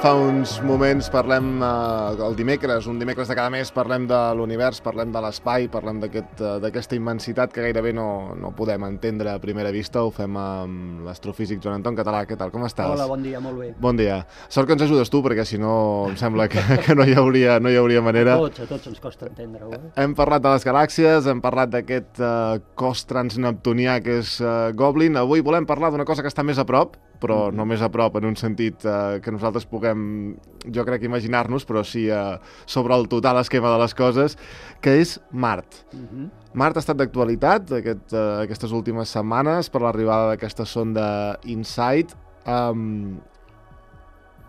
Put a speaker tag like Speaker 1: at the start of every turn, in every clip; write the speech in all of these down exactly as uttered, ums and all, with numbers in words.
Speaker 1: fa uns moments, parlem eh, el dimecres, un dimecres de cada mes, parlem de l'univers, parlem de l'espai, parlem d'aquesta aquest, uh, immensitat que gairebé no, no podem entendre a primera vista. Ho fem amb l'astrofísic Joan Anton Català. Què tal, com estàs?
Speaker 2: Hola, bon dia, molt bé.
Speaker 1: Bon dia. Sort que ens ajudes tu, perquè si no em sembla que, que no, hi hauria, no hi hauria manera.
Speaker 2: A tots, a tots ens costa entendre-ho. Eh?
Speaker 1: Hem parlat de les galàxies, hem parlat d'aquest uh, cos transneptunià que és uh, Goblin. Avui volem parlar d'una cosa que està més a prop, però no més a prop en un sentit eh, que nosaltres puguem, jo crec, imaginar-nos, però sí eh, sobre el total esquema de les coses, que és Mart.
Speaker 2: Uh-huh.
Speaker 1: Mart ha estat d'actualitat aquest, eh, aquestes últimes setmanes per l'arribada d'aquesta sonda InSight. Um,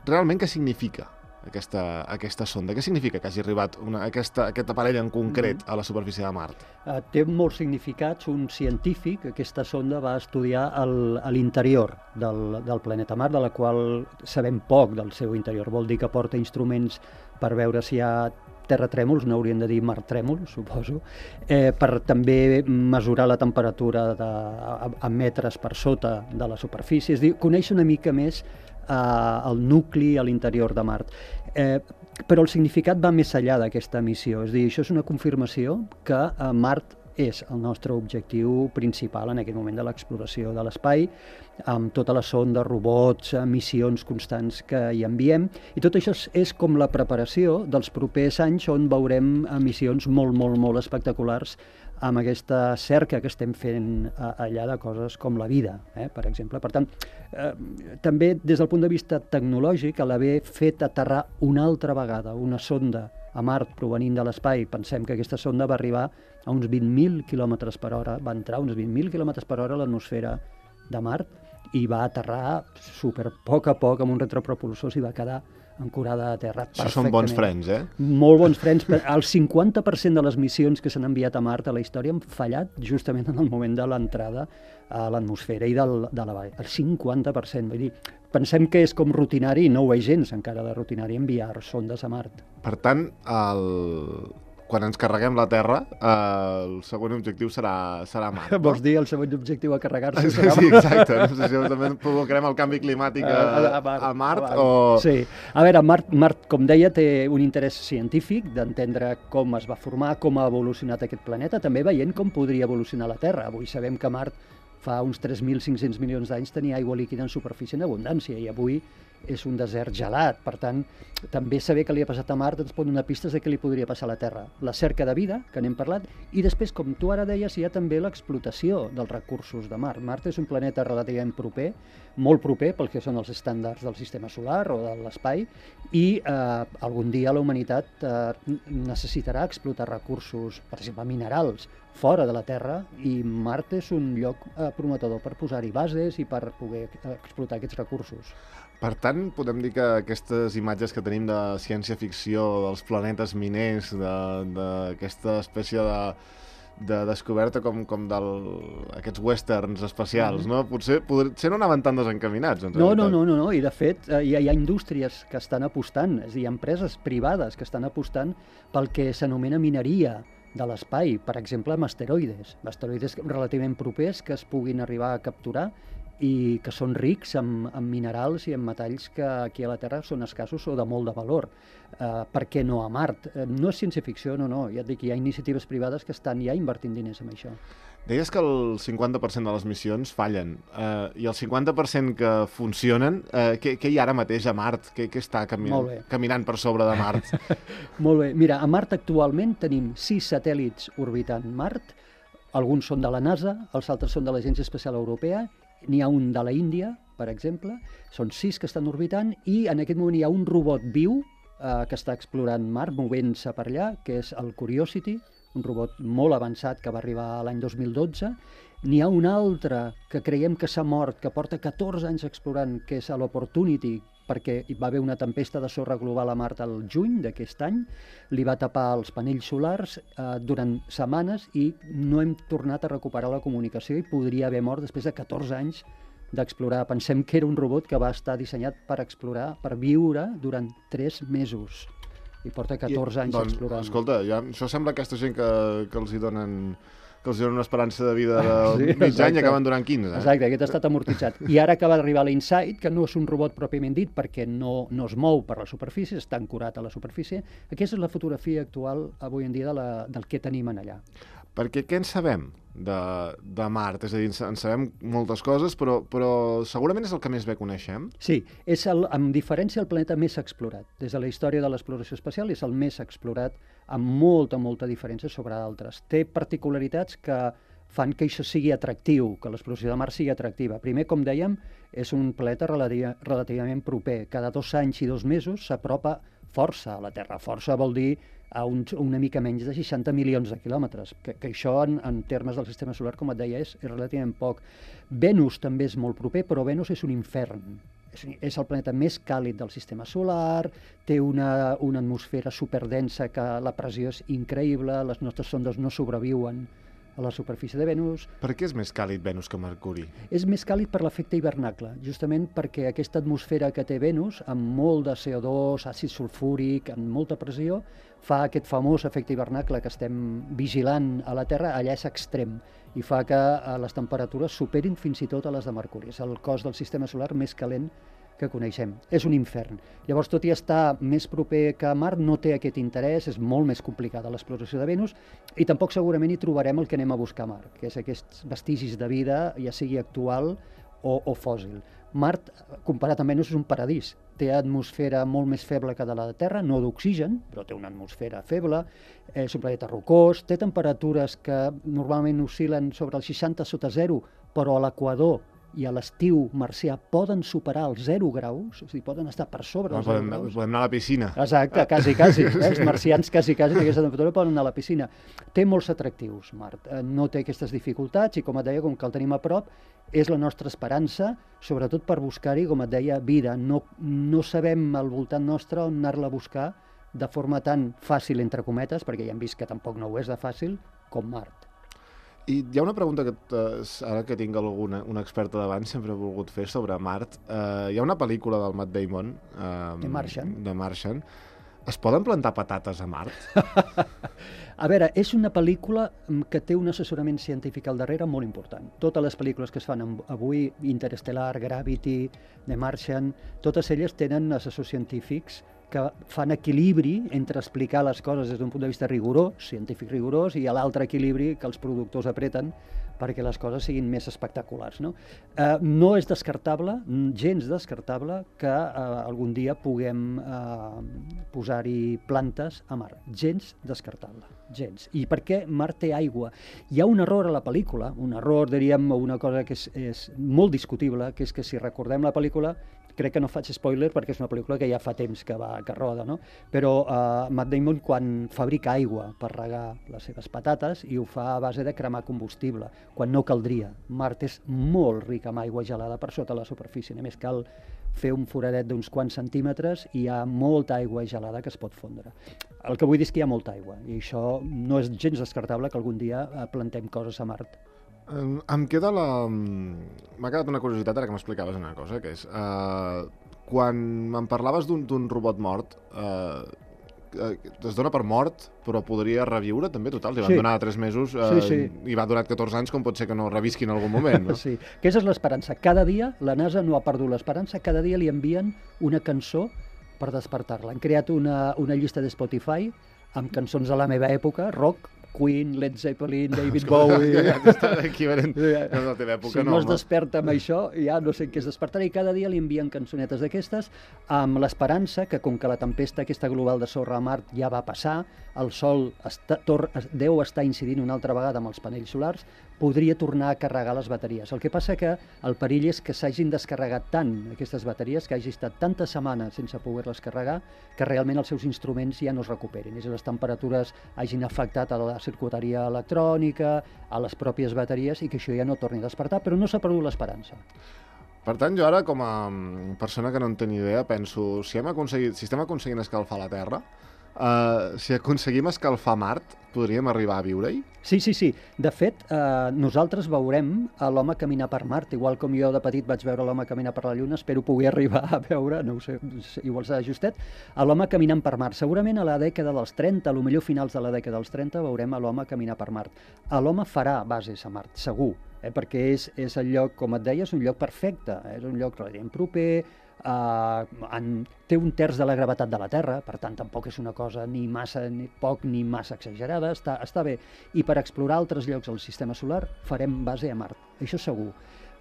Speaker 1: realment, què significa aquesta, aquesta sonda? Què significa que hagi arribat una, aquesta, aquest aparell en concret uh-huh. a la superfície de Mart?
Speaker 2: Uh, té molts significats. Un científic, aquesta sonda, va estudiar el, l'interior del, del planeta Mart, de la qual sabem poc del seu interior. Vol dir que porta instruments per veure si hi ha terratrèmols, no haurien de dir martrèmols, suposo, eh, per també mesurar la temperatura de, a, a metres per sota de la superfície. És dir, conèixer una mica més eh, el nucli a l'interior de Mart. Eh, però el significat va més enllà d'aquesta missió. És dir, això és una confirmació que eh, Mart és el nostre objectiu principal en aquest moment de l'exploració de l'espai, amb tota la sonda, robots, missions constants que hi enviem, i tot això és, és com la preparació dels propers anys on veurem missions molt, molt, molt espectaculars amb aquesta cerca que estem fent allà de coses com la vida, eh, per exemple. Per tant, eh, també des del punt de vista tecnològic, a l'haver fet aterrar una altra vegada una sonda a Mart provenint de l'espai, pensem que aquesta sonda va arribar a uns vint mil quilòmetres per hora, va entrar a uns vint mil quilòmetres per hora a l'atmosfera de Mart i va aterrar super poc a poc amb un retropropulsor i va quedar ancorada a terra perfectament.
Speaker 1: Això són bons frens, eh?
Speaker 2: Molt bons frens. El cinquanta per cent de les missions que s'han enviat a Mart a la història han fallat justament en el moment de l'entrada a l'atmosfera i del, de la vall. El cinquanta per cent. Vull dir, pensem que és com rutinari, i no ho és gens encara de rutinari, enviar sondes a Mart.
Speaker 1: Per tant, el... quan ens carreguem la Terra, eh, el següent objectiu serà, serà Mart. No?
Speaker 2: Vols dir el següent objectiu a carregar-se?
Speaker 1: Sí, sí, exacte. No sé si també provocarem el canvi climàtic a, a, a Mart, a Mart a o...
Speaker 2: Sí. A veure, Mart, Mart, com deia, té un interès científic d'entendre com es va formar, com ha evolucionat aquest planeta, també veient com podria evolucionar la Terra. Avui sabem que Mart fa uns tres mil cinc-cents milions d'anys tenia aigua líquida en superfície en abundància i avui és un desert gelat. Per tant, també saber què li ha passat a Mart ens pot donar pistes de què li podria passar a la Terra. La cerca de vida, que n'hem parlat, i després, com tu ara deies, hi ha també l'explotació dels recursos de Mart. Mart és un planeta relativament proper, molt proper pel que són els estàndards del sistema solar o de l'espai, i eh, algun dia la humanitat eh, necessitarà explotar recursos, per exemple, minerals, fora de la Terra, i Mart és un lloc eh, prometedor per posar-hi bases i per poder explotar aquests recursos.
Speaker 1: Per tant, podem dir que aquestes imatges que tenim de ciència-ficció, dels planetes miners, d'aquesta espècie de, de descoberta com, com d'aquests westerns espacials, no? Potser, potser no anaven tan desencaminats. En
Speaker 2: no, no, no, no, no, i de fet hi ha, hi ha indústries que estan apostant, és a dir, empreses privades que estan apostant pel que s'anomena mineria de l'espai, per exemple, amb asteroides, asteroides relativament propers que es puguin arribar a capturar i que són rics en, en minerals i en metalls que aquí a la Terra són escassos o de molt de valor. Uh, per què no a Mart? Uh, no és ciència-ficció, no, no. Ja et dic, hi ha iniciatives privades que estan ja invertint diners en això.
Speaker 1: Deies que el cinquanta per cent de les missions fallen, uh, i el cinquanta per cent que funcionen, uh, què, què hi ha ara mateix a Mart? Què, què està caminant, caminant per sobre de Mart?
Speaker 2: Molt bé. Mira, a Mart actualment tenim sis satèl·lits orbitant Mart, alguns són de la NASA, els altres són de l'Agència Espacial Europea, n'hi ha un de la Índia, per exemple, són sis que estan orbitant i en aquest moment hi ha un robot viu eh, que està explorant Mart, movent-se per allà, que és el Curiosity, un robot molt avançat que va arribar l'any dos mil dotze. N'hi ha un altre que creiem que s'ha mort, que porta catorze anys explorant, que és l'Opportunity, perquè hi va haver una tempesta de sorra global a Mart al juny d'aquest any, li va tapar els panells solars eh, durant setmanes i no hem tornat a recuperar la comunicació i podria haver mort després de catorze anys d'explorar. Pensem que era un robot que va estar dissenyat per explorar, per viure durant tres mesos. I porta catorze anys
Speaker 1: doncs,
Speaker 2: explorant.
Speaker 1: Escolta, ja, això sembla aquesta gent que, que els hi donen que els donen una esperança de vida de
Speaker 2: Sí,
Speaker 1: mig
Speaker 2: exacte.
Speaker 1: any i acaben durant quinze. Eh?
Speaker 2: Exacte, aquest ha estat amortitzat. I ara acaba d'arribar l'Insight, que no és un robot pròpiament dit perquè no, no es mou per la superfície, està ancorat a la superfície. Aquesta és la fotografia actual avui en dia de la, del que tenim en allà.
Speaker 1: Perquè què en sabem de, de Mart? És a dir, en sabem moltes coses, però, però segurament és el que més bé coneixem.
Speaker 2: Sí, és el, amb diferència el planeta més explorat. Des de la història de l'exploració espacial és el més explorat amb molta, molta diferència sobre d'altres. Té particularitats que fan que això sigui atractiu, que l'exploració de Mart sigui atractiva. Primer, com dèiem, és un planeta relativa, relativament proper. Cada dos anys i dos mesos s'apropa força a la Terra. Força vol dir a un, una mica menys de seixanta milions de quilòmetres, que, que això en, en termes del sistema solar, com et deia, és, és relativament poc. Venus també és molt proper, però Venus és un infern. És, és el planeta més càlid del sistema solar, té una, una atmosfera superdensa que la pressió és increïble, les nostres sondes no sobreviuen a la superfície de Venus.
Speaker 1: Per què és més càlid Venus que Mercuri?
Speaker 2: És més càlid per l'efecte hivernacle, justament perquè aquesta atmosfera que té Venus, amb molt de C O dos, àcid sulfúric, amb molta pressió, fa aquest famós efecte hivernacle que estem vigilant a la Terra, allà és extrem, i fa que les temperatures superin fins i tot a les de Mercuri. És el cos del sistema solar més calent que coneixem. És un infern. Llavors, tot i estar més proper que Mart, no té aquest interès, és molt més complicada l'exploració de Venus, i tampoc segurament hi trobarem el que anem a buscar a Mart, que és aquests vestigis de vida, ja sigui actual o, o fòssil. Mart, comparat amb Venus, és un paradís. Té atmosfera molt més feble que de la Terra, no d'oxigen, però té una atmosfera feble, és un planeta rocós, té temperatures que normalment oscil·len sobre el seixanta sota zero, però a l'equador i a l'estiu marcià poden superar els zero graus, és a dir, poden estar per sobre
Speaker 1: No,
Speaker 2: els zero
Speaker 1: podem,
Speaker 2: graus.
Speaker 1: podem anar a la piscina.
Speaker 2: Exacte, quasi, quasi. Eh? Els marcians quasi, quasi, en aquesta temperatura poden anar a la piscina. Té molts atractius, Mart. No té aquestes dificultats i, com et deia, com que el tenim a prop, és la nostra esperança, sobretot per buscar-hi, com et deia, vida. No, no sabem al voltant nostre on anar-la a buscar de forma tan fàcil, entre cometes, perquè ja hem vist que tampoc no ho és de fàcil, com Mart.
Speaker 1: I hi ha una pregunta que, ara que tinc alguna, una experta davant, sempre he volgut fer sobre Mart. Uh, hi ha una pel·lícula del Matt Damon, uh,
Speaker 2: The Martian.
Speaker 1: The Martian. Es poden plantar patates a Mart?
Speaker 2: A veure, és una pel·lícula que té un assessorament científic al darrere molt important. Totes les pel·lícules que es fan avui, Interstellar, Gravity, The Martian, totes elles tenen assessors científics que fan equilibri entre explicar les coses des d'un punt de vista rigorós, científic rigorós, i a l'altre equilibri que els productors apreten perquè les coses siguin més espectaculars. No, eh, no és descartable, gens descartable, que eh, algun dia puguem eh, posar-hi plantes a Mart. Gens descartable, gens. I per què Mart té aigua? Hi ha un error a la pel·lícula, un error, diríem, o una cosa que és, és molt discutible, que és que si recordem la pel·lícula, crec que no faig spoiler perquè és una pel·lícula que ja fa temps que va que roda, no? Però uh, Matt Damon, quan fabrica aigua per regar les seves patates, i ho fa a base de cremar combustible, quan no caldria. Mart és molt ric amb aigua gelada per sota la superfície, només cal fer un foradet d'uns quants centímetres i hi ha molta aigua gelada que es pot fondre. El que vull dir és que hi ha molta aigua, i això no és gens descartable que algun dia plantem coses a Mart.
Speaker 1: Um, em queda la... M'ha quedat una curiositat ara que m'explicaves una cosa, que és... Uh, quan me'n parlaves d'un robot mort, uh, es dona per mort, però podria reviure també, total. Li van
Speaker 2: sí.
Speaker 1: donar tres mesos uh,
Speaker 2: sí, sí.
Speaker 1: i va durar catorze anys, com pot ser que no revisqui en algun moment, no?
Speaker 2: Sí, aquesta és l'esperança. Cada dia la NASA no ha perdut l'esperança, cada dia li envien una cançó per despertar-la. Han creat una, una llista de Spotify amb cançons de la meva època, rock, Queen, Led Zeppelin, David Bowie...
Speaker 1: Equivalent de la teva època,
Speaker 2: si no es desperta amb això, ja no sé què es despertarà, i cada dia li envien cançonetes d'aquestes amb l'esperança que, com que la tempesta aquesta global de sorra a Mart ja va passar, el Sol està, tor, deu estar incidint una altra vegada amb els panells solars, podria tornar a carregar les bateries. El que passa que el perill és que s'hagin descarregat tant aquestes bateries, que hagi estat tantes setmanes sense poder-les carregar, que realment els seus instruments ja no es recuperin. És a dir, les temperatures hagin afectat a la circuiteria electrònica, a les pròpies bateries, i que això ja no torni a despertar, però no s'ha perdut l'esperança.
Speaker 1: Per tant, jo ara, com a persona que no en té ni idea, penso, si, hem aconseguit, si estem aconseguint escalfar la Terra, Uh, si aconseguim escalfar Mart, podríem arribar a viure-hi?
Speaker 2: Sí, sí, sí. De fet, eh, nosaltres veurem a l'home caminar per Mart, igual com jo de petit vaig veure l'home caminar per la Lluna, espero poder arribar a veure, no ho sé, igual serà justet, a l'home caminant per Mart. Segurament a la dècada dels trenta, a lo millor finals de la dècada dels trenta, veurem a l'home caminar per Mart. A l'home farà bases a Mart, segur, eh, perquè és, és el lloc, com et deia, és un lloc perfecte, eh, és un lloc relativament proper, Uh, en, té un terç de la gravetat de la Terra, per tant tampoc és una cosa ni massa ni poc ni massa exagerada, està, està bé. I per explorar altres llocs al sistema solar farem base a Mart, això segur.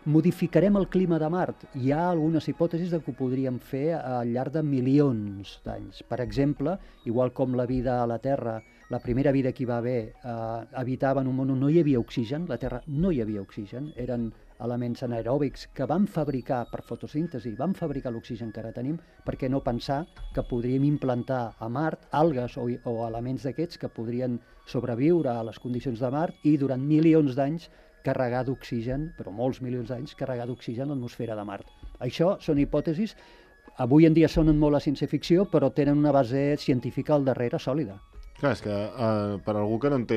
Speaker 2: Modificarem el clima de Mart. Hi ha algunes hipòtesis de que ho podríem fer al llarg de milions d'anys. Per exemple, igual com la vida a la Terra, la primera vida que hi va haver eh, habitava en un món on no hi havia oxigen, la Terra no hi havia oxigen, eren elements anaeròbics que vam fabricar per fotosíntesi, vam fabricar l'oxigen que ara tenim, perquè no pensar que podríem implantar a Mart algues o, o elements d'aquests que podrien sobreviure a les condicions de Mart i durant milions d'anys carregar d'oxigen, però molts milions d'anys, carregar d'oxigen l'atmosfera de Mart. Això són hipòtesis, avui en dia sonen molt a ciència-ficció, però tenen una base científica al darrere sòlida.
Speaker 1: Clar, és que uh, per algú que no, en té,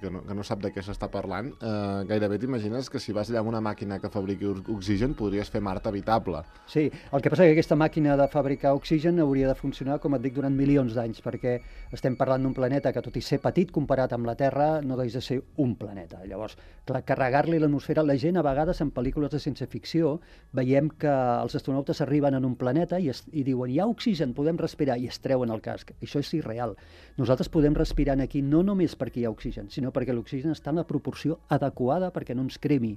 Speaker 1: que no, que no sap de què s'està parlant, uh, gairebé t'imagines que si vas allà amb una màquina que fabriqui oxigen podries fer Mart habitable.
Speaker 2: Sí, el que passa és que aquesta màquina de fabricar oxigen hauria de funcionar, com et dic, durant milions d'anys, perquè estem parlant d'un planeta que, tot i ser petit comparat amb la Terra, no deixa de ser un planeta. Llavors, clar, carregar-li l'atmosfera, la gent a vegades en pel·lícules de ciència-ficció veiem que els astronautes arriben en un planeta i, es, i diuen hi ha oxigen, podem respirar, i es treuen el casc. Això és irreal. Nosaltres podem respirar aquí no només perquè hi ha oxigen, sinó perquè l'oxigen està en la proporció adequada perquè no ens cremi,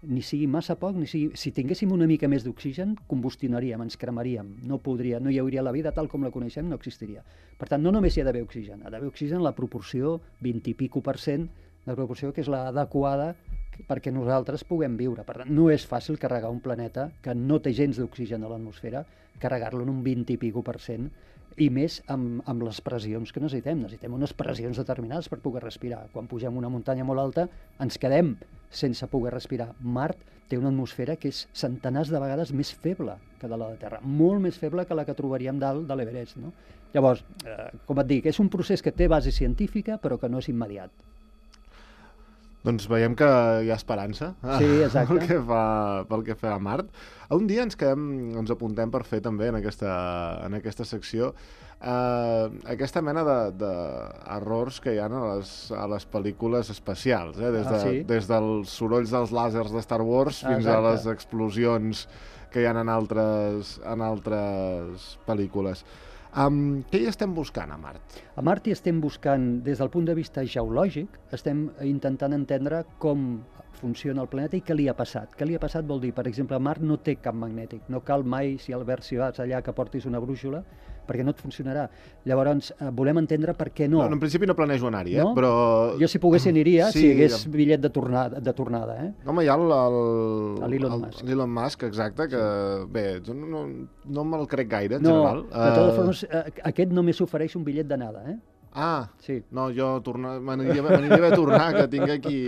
Speaker 2: ni sigui massa poc, ni sigui... Si tinguéssim una mica més d'oxigen, combustionaríem, ens cremaríem, no podria, no hi hauria la vida tal com la coneixem, no existiria. Per tant, no només hi ha d'haver oxigen, ha d'haver oxigen en la proporció vint i pico per cent, la proporció que és l'adequada perquè nosaltres puguem viure. Per tant, no és fàcil carregar un planeta que no té gens d'oxigen a l'atmosfera, carregar-lo en un vint i pico per cent, i més amb, amb les pressions que necessitem. Necessitem unes pressions determinades per poder respirar. Quan pugem una muntanya molt alta ens quedem sense poder respirar. Mart té una atmosfera que és centenars de vegades més feble que de la de Terra, molt més feble que la que trobaríem dalt de l'Everest, no? Llavors, eh, com et dic, és un procés que té base científica però que no és immediat.
Speaker 1: Doncs veiem que hi ha esperança
Speaker 2: sí, exacte.
Speaker 1: pel, que fa, pel que fa a Mart. Un dia ens quedem, ens apuntem per fer també en aquesta, en aquesta secció eh, aquesta mena d'errors que hi ha a les, a les pel·lícules espacials, eh? des, de,
Speaker 2: ah, sí?
Speaker 1: des dels sorolls dels làsers de Star Wars fins
Speaker 2: Exacte.
Speaker 1: a les explosions que hi ha en altres, en altres pel·lícules. Um, què hi estem buscant a Mart?
Speaker 2: A Mart hi estem buscant, des del punt de vista geològic, estem intentant entendre com funciona el planeta i què li ha passat. Què li ha passat vol dir, per exemple, Mart no té camp magnètic, no cal mai, si Albert, si vas allà, que portis una brúixola, perquè no et funcionarà. Llavors, eh, volem entendre per què no.
Speaker 1: no. En principi no planejo anar-hi, eh?
Speaker 2: No?
Speaker 1: Però...
Speaker 2: Jo, si pogués, aniria
Speaker 1: sí,
Speaker 2: si hi hagués bitllet de tornada, de tornada eh?
Speaker 1: Home, hi ha
Speaker 2: l'Elon Musk.
Speaker 1: L'Elon Musk, exacte, que sí. Bé, jo no, no me'l crec gaire, en
Speaker 2: no,
Speaker 1: general.
Speaker 2: De totes uh... formes, aquest només s'ofereix un bitllet d'anada, eh?
Speaker 1: Ah,
Speaker 2: sí.
Speaker 1: No, jo m'aniria bé tornar, que tinc aquí...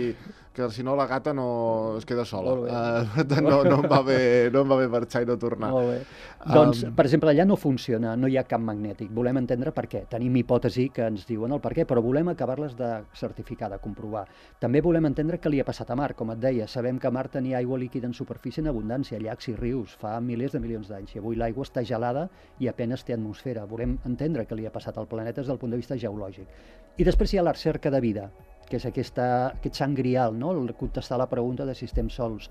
Speaker 1: que si no la gata no es queda sola. Uh, no, no, em va bé, no em va bé marxar i no tornar.
Speaker 2: Molt bé. Um... Doncs, per exemple, allà no funciona, no hi ha camp magnètic. Volem entendre per què. Tenim hipòtesi que ens diuen el per què, però volem acabar-les de certificar, de comprovar. També volem entendre què li ha passat a Mart. Com et deia, sabem que Mart tenia aigua líquida en superfície en abundància, llacs i rius, fa milers de milions d'anys. I avui l'aigua està gelada i apenas té atmosfera. Volem entendre què li ha passat al planeta des del punt de vista geològic. I després hi ha la recerca de vida, que és aquesta, aquest sant grial, no? El contestar la pregunta de si estem sols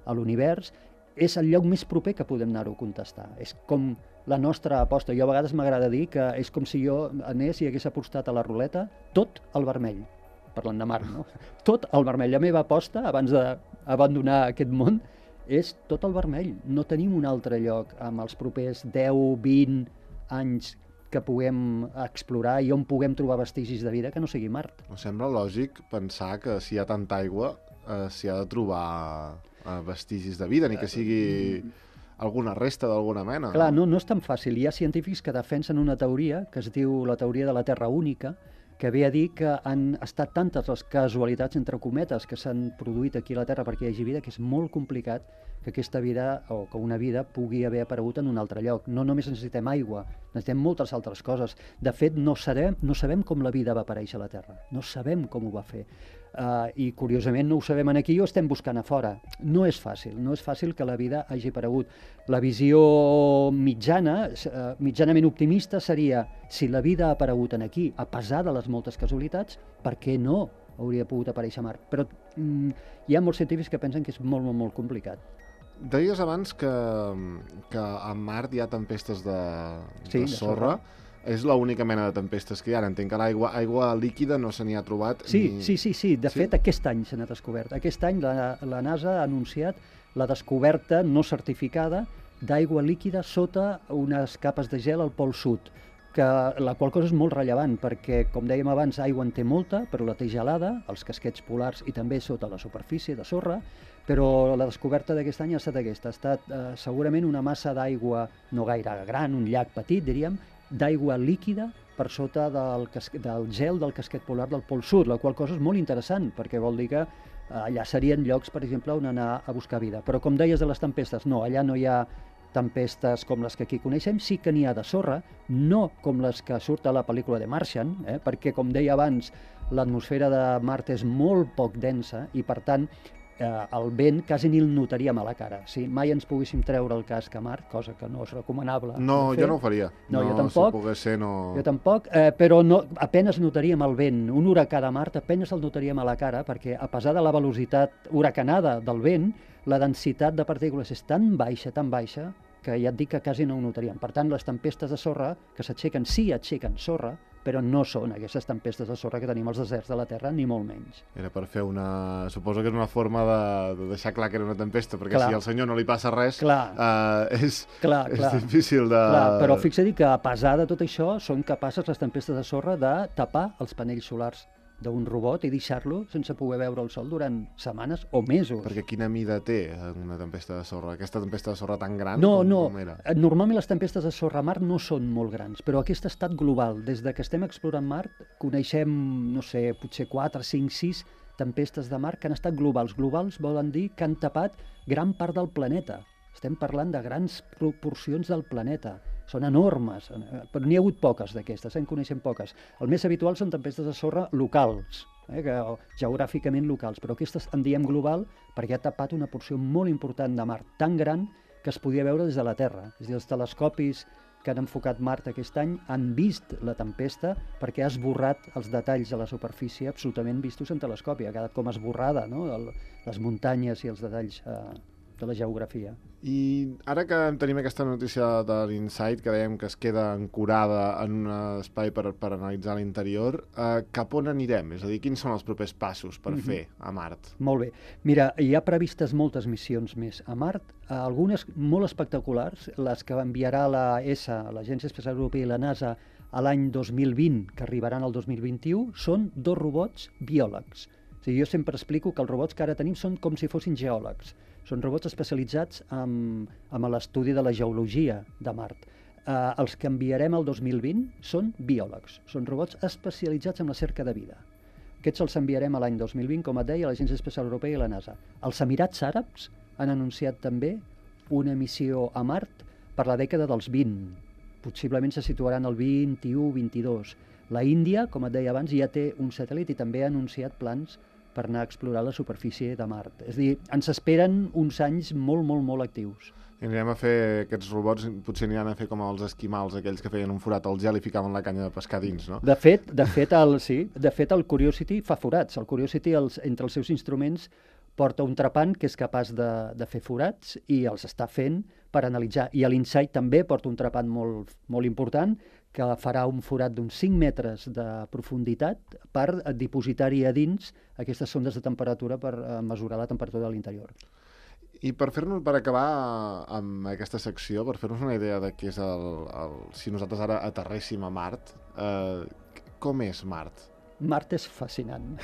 Speaker 2: a l'univers, és el lloc més proper que podem anar-ho a contestar. És com la nostra aposta. Jo a vegades m'agrada dir que és com si jo anés i hagués apostat a la ruleta tot al vermell, parlant de Mart, no? Tot al vermell. La meva aposta, abans d'abandonar aquest món, és tot al vermell. No tenim un altre lloc amb els propers deu, vint anys que puguem explorar i on puguem trobar vestigis de vida que no sigui Mart.
Speaker 1: Em sembla lògic pensar que si hi ha tanta aigua eh, s'hi ha de trobar eh, vestigis de vida, ni que sigui alguna resta d'alguna mena.
Speaker 2: Clar,
Speaker 1: no?
Speaker 2: no, no és tan fàcil. Hi ha científics que defensen una teoria que es diu la teoria de la Terra única, que ve a dir que han estat tantes les casualitats, entre cometes, que s'han produït aquí a la Terra perquè hi hagi vida, que és molt complicat que aquesta vida, o que una vida, pugui haver aparegut en un altre lloc. No només necessitem aigua, necessitem moltes altres coses. De fet, no sabem, no sabem com la vida va aparèixer a la Terra, no sabem com ho va fer. Uh, I curiosament no ho sabem aquí i ho estem buscant a fora. No és fàcil, no és fàcil que la vida hagi aparegut. La visió mitjana, uh, mitjanament optimista seria si la vida ha aparegut en aquí, a pesar de les moltes casualitats, per què no hauria pogut aparèixer a Mart? Però mm, hi ha molts científics que pensen que és molt, molt, molt complicat.
Speaker 1: Deies abans que, que a Mart hi ha tempestes de,
Speaker 2: sí,
Speaker 1: de sorra. De sorra. És l'única mena de tempestes que hi ha. Entenc que l'aigua aigua líquida no se n'hi ha trobat.
Speaker 2: Sí,
Speaker 1: ni...
Speaker 2: sí, sí, sí. De
Speaker 1: sí?
Speaker 2: fet, aquest any se n'ha descobert. Aquest any la, la NASA ha anunciat la descoberta no certificada d'aigua líquida sota unes capes de gel al Pol Sud, que la qual cosa és molt rellevant, perquè, com dèiem abans, aigua en té molta, però la té gelada, als casquets polars i també sota la superfície de sorra, però la descoberta d'aquest any ha estat aquesta. Ha estat eh, segurament una massa d'aigua no gaire gran, un llac petit, diríem, d'aigua líquida per sota del, del gel del casquet polar del Pol Sud, la qual cosa és molt interessant, perquè vol dir que allà serien llocs, per exemple, on anar a buscar vida. Però com deies de les tempestes, no, allà no hi ha tempestes com les que aquí coneixem, sí que n'hi ha de sorra, no com les que surt a la pel·lícula de Martian, eh, perquè, com deia abans, l'atmosfera de Mart és molt poc densa i, per tant, eh, el vent quasi ni el notaríem a la cara. Si mai ens poguéssim treure el casc a Mart, cosa que no és recomanable.
Speaker 1: No, jo no ho faria.
Speaker 2: No,
Speaker 1: no
Speaker 2: jo tampoc.
Speaker 1: Si pogués ser, no...
Speaker 2: Jo tampoc, eh, però no, apenes notaríem el vent. Un huracà de Mart apenes el notaríem a la cara, perquè a pesar de la velocitat huracanada del vent, la densitat de partícules és tan baixa, tan baixa, que ja et dic que quasi no ho notaríem. Per tant, les tempestes de sorra que s'aixequen, sí aixequen sorra, però no són aquestes tempestes de sorra que tenim als deserts de la Terra, ni molt menys.
Speaker 1: Era per fer una... Suposo que és una forma de, de deixar clar que era una tempesta, perquè clar. Si al senyor no li passa res, eh, és,
Speaker 2: clar,
Speaker 1: és
Speaker 2: clar.
Speaker 1: difícil de...
Speaker 2: Clar, però fixa-t'hi que, a pesar de tot això, són capaces les tempestes de sorra de tapar els panells solars d'un robot i deixar-lo sense poder veure el sol durant setmanes o mesos.
Speaker 1: Perquè quina mida té una tempesta de sorra? Aquesta tempesta de sorra tan gran
Speaker 2: no,
Speaker 1: com,
Speaker 2: no.
Speaker 1: com era?
Speaker 2: Normalment les tempestes de sorra a Mart no són molt grans, però aquesta ha estat global. Des de que estem explorant Mart coneixem, no sé, potser quatre, cinc, sis tempestes de Mart que han estat globals. Globals volen dir que han tapat gran part del planeta. Estem parlant de grans proporcions del planeta. Són enormes, però n'hi ha hagut poques d'aquestes, en coneixem poques. El més habitual són tempestes de sorra locals, eh, que, geogràficament locals, però aquestes en diem global perquè ha tapat una porció molt important de Mart, tan gran que es podia veure des de la Terra. És a dir, els telescopis que han enfocat Mart aquest any han vist la tempesta perquè ha esborrat els detalls de la superfície absolutament vistos en telescopi. Ha quedat com esborrada, no? El, les muntanyes i els detalls eh, de la geografia.
Speaker 1: I ara que tenim aquesta notícia de l'Insight, que dèiem que es queda ancorada en un espai per, per analitzar l'interior, eh, cap on anirem? És a dir, quins són els propers passos per mm-hmm. fer a Mart?
Speaker 2: Molt bé. Mira, hi ha previstes moltes missions més a Mart, algunes molt espectaculars, les que enviarà la E S A, l'Agència Espacial Europea i la NASA, a l'any dos mil vint, que arribaran al dos mil vint-i-u, són dos robots biòlegs. O sigui, jo sempre explico que els robots que ara tenim són com si fossin geòlegs. Són robots especialitzats en, en l'estudi de la geologia de Mart. Eh, els que enviarem el dos mil vint són biòlegs, són robots especialitzats en la cerca de vida. Aquests els enviarem a l'any dos mil vint, com et deia, a l'Agència Espacial Europea i la NASA. Els Emirats Àrabs han anunciat també una missió a Mart per la dècada dels vint. Possiblement se situaran al vint-i-u vint-i-dos. La Índia, com et deia abans, ja té un satèl·lit i també ha anunciat plans per anar a explorar la superfície de Mart. És a dir, ens esperen uns anys molt, molt, molt actius.
Speaker 1: I anirem a fer aquests robots, potser aniran a fer com els esquimals, aquells que feien un forat al gel i ficaven la canya de pescar dins, no?
Speaker 2: De fet, de fet, el, sí, de fet el Curiosity fa forats. El Curiosity, els, entre els seus instruments, porta un trepant que és capaç de, de fer forats i els està fent per analitzar. I l'Insight també porta un trepant molt, molt important que farà un forat d'uns cinc metres de profunditat per dipositar-hi a dins aquestes sondes de temperatura per mesurar la temperatura de l'interior.
Speaker 1: I per fer-nos, per acabar amb aquesta secció, per fer-nos una idea de què és el, el... si nosaltres ara aterréssim a Mart, eh, com és Mart?
Speaker 2: Mart és fascinant.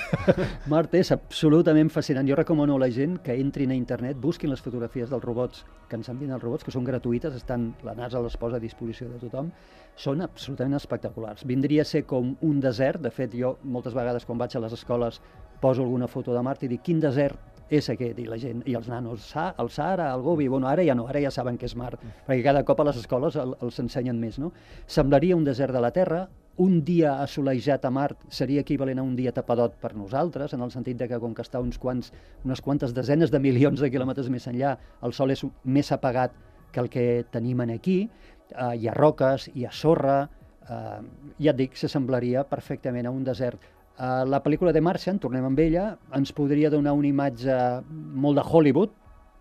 Speaker 2: Mart és absolutament fascinant. Jo recomano a la gent que entrin a internet, busquin les fotografies dels robots, que ens envien els robots, que són gratuïtes, estan, la NASA les posa a disposició de tothom, són absolutament espectaculars. Vindria a ser com un desert. De fet, jo moltes vegades quan vaig a les escoles poso alguna foto de Mart i dic quin desert és aquest, i la gent, i els nanos, Sa, el Sahara, el Gobi, bueno, ara ja no, ara ja saben que és Mart, perquè cada cop a les escoles el, els ensenyen més, no? Semblaria un desert de la Terra, un dia assolejat a Mart seria equivalent a un dia tapadot per nosaltres, en el sentit de que com que està uns quants, unes quantes desenes de milions de quilòmetres més enllà, el Sol és més apagat que el que tenim aquí, uh, hi ha roques, hi ha sorra, uh, ja et dic, s'assemblaria perfectament a un desert. Uh, la pel·lícula de Martian, tornem amb ella, ens podria donar una imatge molt de Hollywood,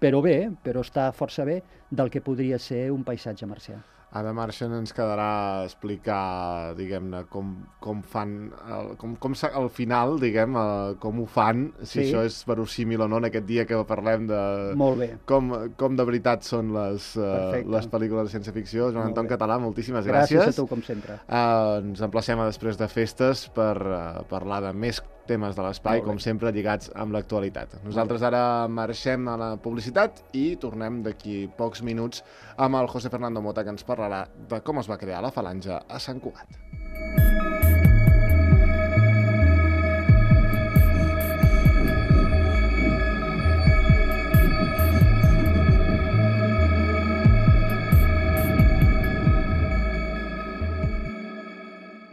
Speaker 2: però bé, però està força bé, del que podria ser un paisatge marcià.
Speaker 1: A The Martian ens quedarà explicar, diguem-ne, com, com fan, el, com, com al final, diguem, uh, com ho fan, si sí. Això és verossímil o no, en aquest dia que parlem de
Speaker 2: Molt bé.
Speaker 1: Com, com de veritat són les, uh, les pel·lícules de ciència-ficció. Joan Anton Català, moltíssimes gràcies.
Speaker 2: Gràcies a tu, com sempre.
Speaker 1: Uh, ens emplacem a després de festes per uh, parlar de més temes de l'espai, com sempre, lligats amb l'actualitat. Nosaltres ara marxem a la publicitat i tornem d'aquí pocs minuts amb el José Fernando Mota, que ens parlarà de com es va crear la Falange a Sant Cugat.